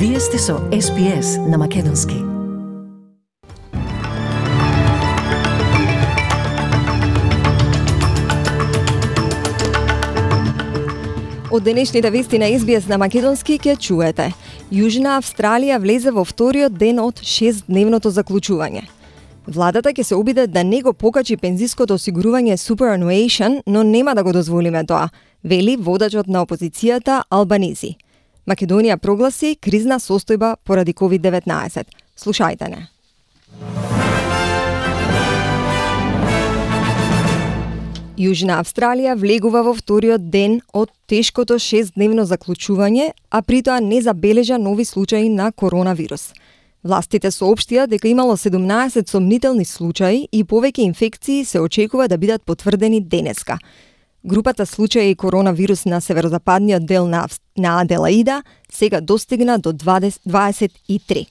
Вие сте со SPS на Македонски. Од денешните вести на SBS на Македонски ќе чуете. Јужна Австралија влезе во вториот ден од 6-дневното заклучување. Владата ќе се обиде да не го покачи пензиското осигурување superannuation, но нема да го дозволиме тоа, вели водачот на опозицијата Албанизи. Македонија прогласи кризна состојба поради COVID-19. Слушајте не. Јужна Австралија влегува во вториот ден од тешкото 6-дневно заклучување, а притоа не забележа нови случаи на коронавирус. Властите соопштија дека имало 17 сомнителни случаи и повеќе инфекции се очекува да бидат потврдени денеска. Групата случаи коронавирус на северозападниот дел на Аделаида сега достигна до 23.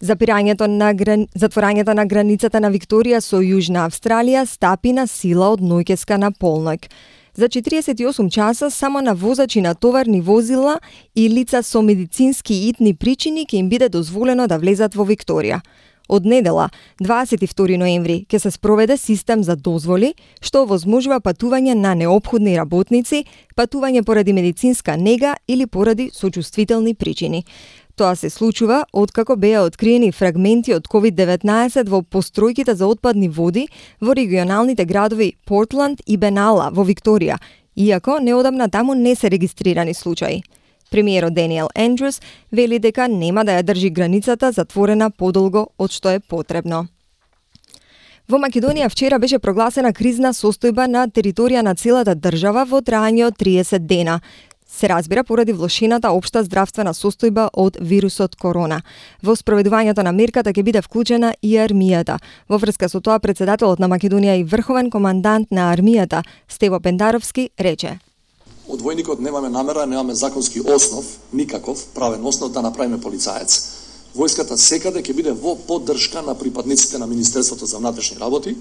Затворањето на границата на Викторија со Јужна Австралија стапи на сила од ноќеска на полноќ. За 48 часа само на возачи на товарни возила и лица со медицински и итни причини ќе им биде дозволено да влезат во Викторија. Од недела, 22 ноември, ќе се спроведе систем за дозволи, што овозможува патување на неопходни работници, патување поради медицинска нега или поради сочувствителни причини. Тоа се случува откако беа откриени фрагменти од COVID-19 во постројките за отпадни води во регионалните градови Портланд и Бенала во Викторија, иако неодамна таму не се регистрирани случаи. Премиерот Даниел Ендрюс вели дека нема да ја држи границата затворена подолго од што е потребно. Во Македонија вчера беше прогласена кризна состојба на територија на целата држава во траење од 30 дена. Се разбира поради влошената општа здравствена состојба од вирусот корона. Во спроведувањето на мерката ќе биде вклучена и армијата. Во врска со тоа, председателот на Македонија и врховен командант на армијата Стево Пендаровски рече: Од војникот немаме намера, немаме законски основ, никаков правен основ да направиме полицаец. Војската секаде ќе биде во поддршка на припадниците на Министерството за внатрешни работи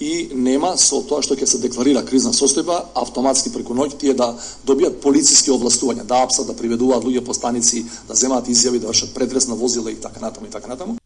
и нема со тоа што ќе се декларира кризна состојба, автоматски преку ноќ тие да добијат полициски овластувања, да апсат, да приведуваат луѓе по станици, да земаат изјави, да вршат претрес на возила и така натаму и така натаму.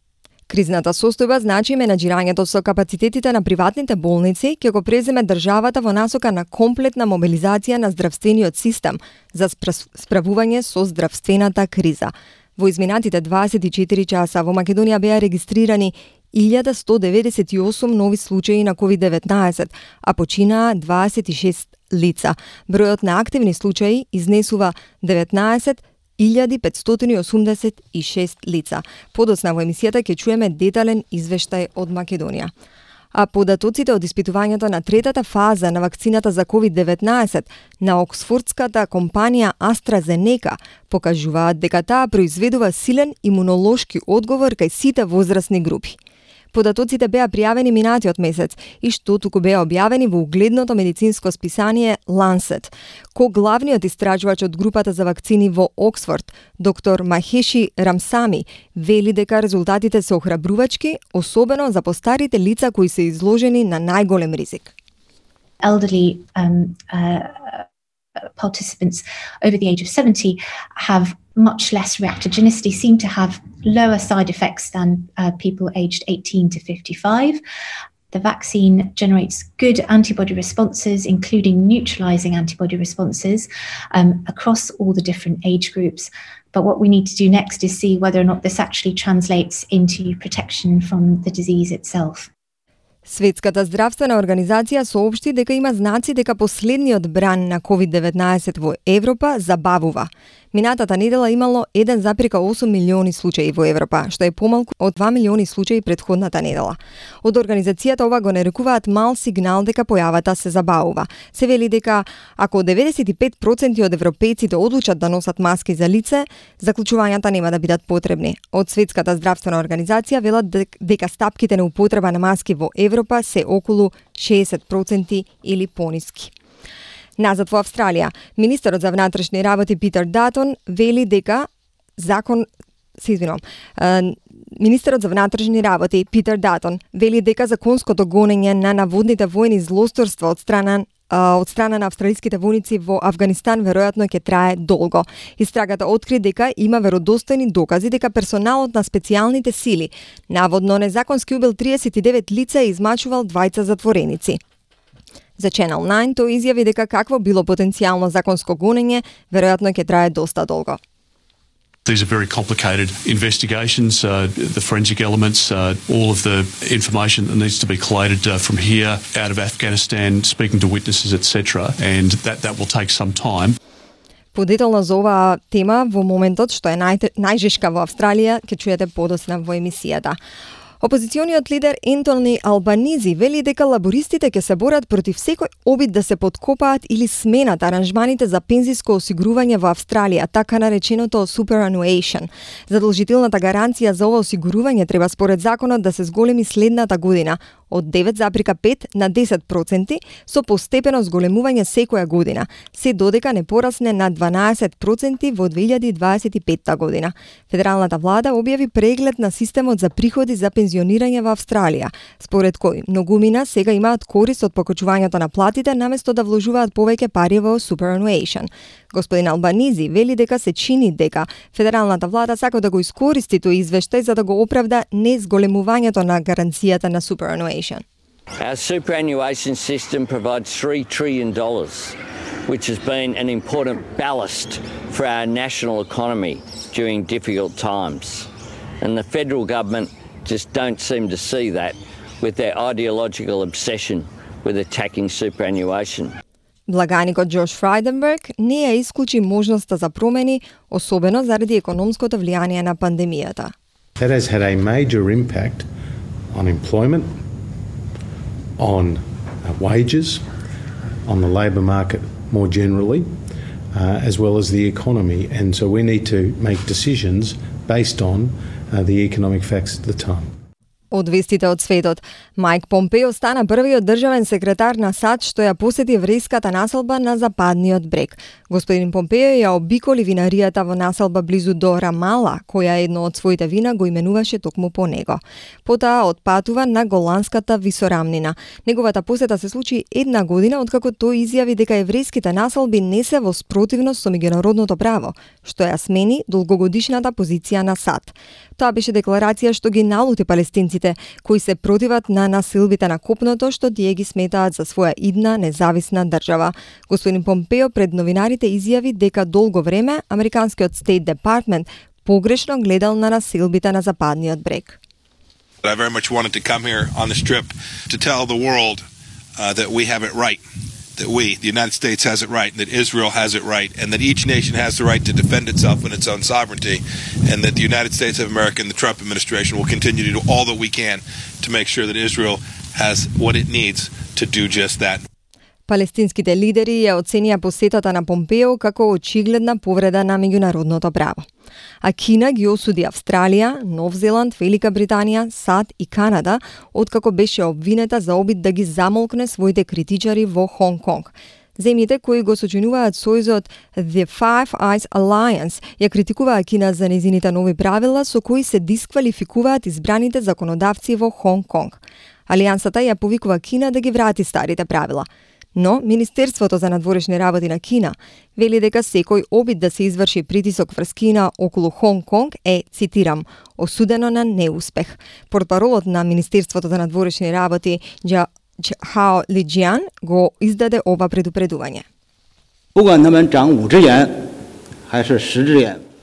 Кризната состојба значи менаџирањето со капацитетите на приватните болници ќе го преземе државата во насока на комплетна мобилизација на здравствениот систем за справување со здравствената криза. Во изминатите 24 часа во Македонија беа регистрирани 1198 нови случаи на COVID-19, а починаа 26 лица. Бројот на активни случаи изнесува 19.586 лица. Подоцна во емисијата ќе чуеме детален извештај од Македонија. А податоците од испитувањето на третата фаза на вакцината за COVID-19 на оксфордската компанија AstraZeneca покажуваат дека таа произведува силен имунолошки одговор кај сите возрастни групи. Податоците беа пријавени минатиот месец и што туку беа објавени во угледното медицинско списание Lancet. Главниот истражувач од групата за вакцини во Оксфорд, доктор Махеши Рамсами, вели дека резултатите се охрабрувачки, особено за постарите лица кои се изложени на најголем ризик. Elderly participants over the age of 70 have much less reactogenicity, seem to have lower side effects than people aged 18 to 55. The vaccine generates good antibody responses, including neutralizing antibody responses across all the different age groups. But what we need to do next is see whether or not this actually translates into protection from the disease itself. Светската здравствена организација соопшти дека има знаци дека последниот бран на COVID-19 во Европа забавува. Минатата недела имало 1,8 милиони случаи во Европа, што е помалку од 2 милиони случаи претходната недела. Од организацијата ова го нарекуваат мал сигнал дека појавата се забавува. Се вели дека ако 95% од европејците одлучат да носат маски за лице, заклучувањата нема да бидат потребни. Од Светската здравствена организација велат дека стапките на употреба на маски во Европа се околу 60% или пониски. Назад во Австралија, министерот за внатрешни работи Питер Датон вели дека Министерот за внатрешни работи Питер Датон вели дека законското гонење на наводните војни злосторства од страна од страна на австралиските војници во Авганистан веројатно ќе трае долго. Истрагата откри дека има веродостојни докази дека персоналот на специјалните сили наводно незаконски убил 39 лица и измачувал 2 затвореници. За Channel 9 тој изјави дека какво било потенцијално законско гонење, веројатно ќе трае доста долго. These are very complicated investigations, the forensic elements, all of the information that needs to be collated from here, out of Afghanistan, speaking to witnesses, etc. And that will take some time. Подетелно за оваа тема во моментот што е најжешка во Австралија, ќе чуете подосна во емисијата. Опозициониот лидер Ентони Албанизи вели дека лабористите ќе се борат против секој обид да се подкопаат или сменат аранжманите за пензиско осигурување во Австралија, така нареченото superannuation. Задолжителната гаранција за ова осигурување треба според законот да се зголеми следната година од 9,5 на 10% со постепено зголемување секоја година, се додека не порасне на 12% во 2025 година. Федералната влада објави преглед на системот за приходи за пензионирање во Австралија, според кој многумина сега имаат корист од покачувањето на платите наместо да вложуваат повеќе пари во superannuation. Господин Албанизи вели дека се чини дека федералната влада сака да го искористи тој извештај за да го оправда незголемувањето на гаранцијата на superannuation. Our superannuation system provides $3 trillion, which has been an important ballast for our national economy during difficult times. And the federal government just don't seem to see that with their ideological obsession with attacking superannuation. Благаникот Джош Фрайденберг не ја исклучи можноста за промени, особено заради економското влијание на пандемијата. That has had a major impact on employment, on wages, on the labour market more generally, as well as the economy. And so we need to make decisions based on the economic facts at the time. Од вестите од светот, Мајк Помпео стана првиот државен секретар на САД што ја посети еврејската населба на западниот брег. Господин Помпео ја обиколи винаријата во населба близу до Рамала, која едно од своите вина го именуваше токму по него. Потоа отпатува на Голанската висорамнина. Неговата посета се случи една година откако тој изјави дека еврејските населби не се во спротивност со меѓународното право, што ја смени долгогодишната позиција на САД. Тоа беше декларација што ги налути палестинците, кои се противат на насилбите на копното што тие ги сметаат за своја идна независна држава. Господин Помпео пред новинарите изјави дека долго време американскиот State Department погрешно гледал на насилбите на западниот брег. I very much wanted to come here on this trip to tell the world that we have it right. That we, the United States, has it right, and that Israel has it right, and that each nation has the right to defend itself and its own sovereignty, and that the United States of America and the Trump administration will continue to do all that we can to make sure that Israel has what it needs to do just that. Палестинските лидери ја оценија посетата на Помпео како очигледна повреда на меѓународното право. А Кина ги осуди Австралија, Нов Зеланд, Велика Британија, САД и Канада, откако беше обвинета за обид да ги замолкне своите критичари во Хонг Конг. Земјите кои го сочинуваат сојузот The Five Eyes Alliance ја критикуваа Кина за незините нови правила со кои се дисквалификуваат избраните законодавци во Хонг Конг. Алијансата ја повикува Кина да ги врати старите правила. Но Министерството за надворешни работи на Кина вели дека секој обид да се изврши притисок врз Кина околу Хонг Конг е, цитирам, осудено на неуспех. Портпаролот на Министерството за надворешни работи Хао Лиџијан го издаде ова предупредување.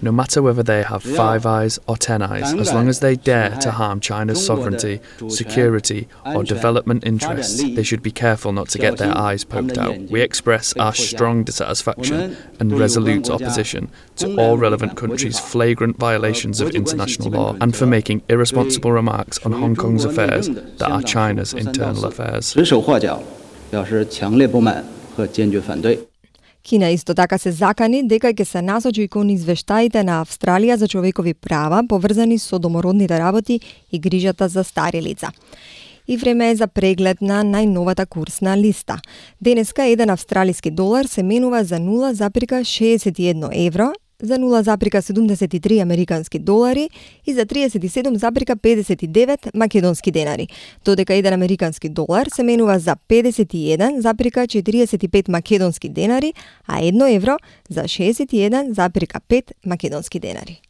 No matter whether they have 5 eyes or 10 eyes, as long as they dare to harm China's sovereignty, security, or development interests, they should be careful not to get their eyes poked out. We express our strong dissatisfaction and resolute opposition to all relevant countries' flagrant violations of international law and for making irresponsible remarks on Hong Kong's affairs that are China's internal affairs. Кина исто така се закани дека ќе се насочи кон извештаите на Австралија за човекови права поврзани со домородните работи и грижата за стари лица. И време е за преглед на најновата курсна листа. Денеска еден австралиски долар се менува за 0,61 евро, за 0,73 американски долари и за 37,59 македонски денари, додека 1 американски долар се менува за 51,45 македонски денари, а 1 евро за 61,5 македонски денари.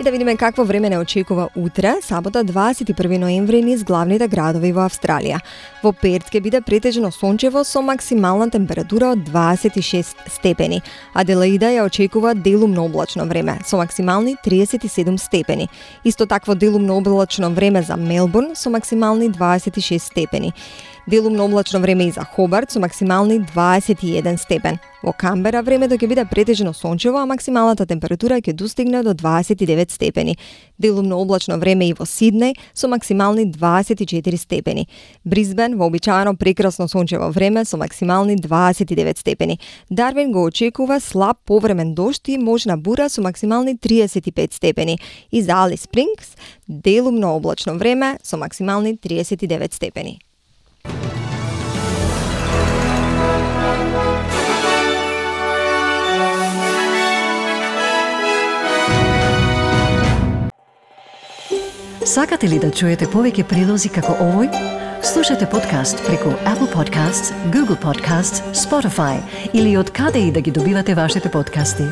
И да видиме какво време не очекува утре, сабота 21 ноември низ главните градови во Австралија. Во Перт ќе биде претежно сончево со максимална температура од 26 степени. Аделаида ја очекува делумно облачно време со максимални 37 степени. Исто такво делумно облачно време за Мелбурн со максимални 26 степени. Делумно облачно време и за Хобарт со максимални 21 степен. Во Камбера времето ќе биде претежно сончево, а максималната температура ќе достигне до 29 степени. Делумно облачно време и во Сиднеј со максимални 24 степени. Брисбен вообичаено прекрасно сончево време со максимални 29 степени. Дарвин го очекува слаб повремен дожд и можна бура со максимални 35 степени. И за Алис Спрингс делумно облачно време со максимални 39 степени. Сакате ли да чуете повеќе прилози како овој? Слушате подкаст преку Apple Podcasts, Google Podcasts, Spotify или од каде и да ги добивате вашите подкасти.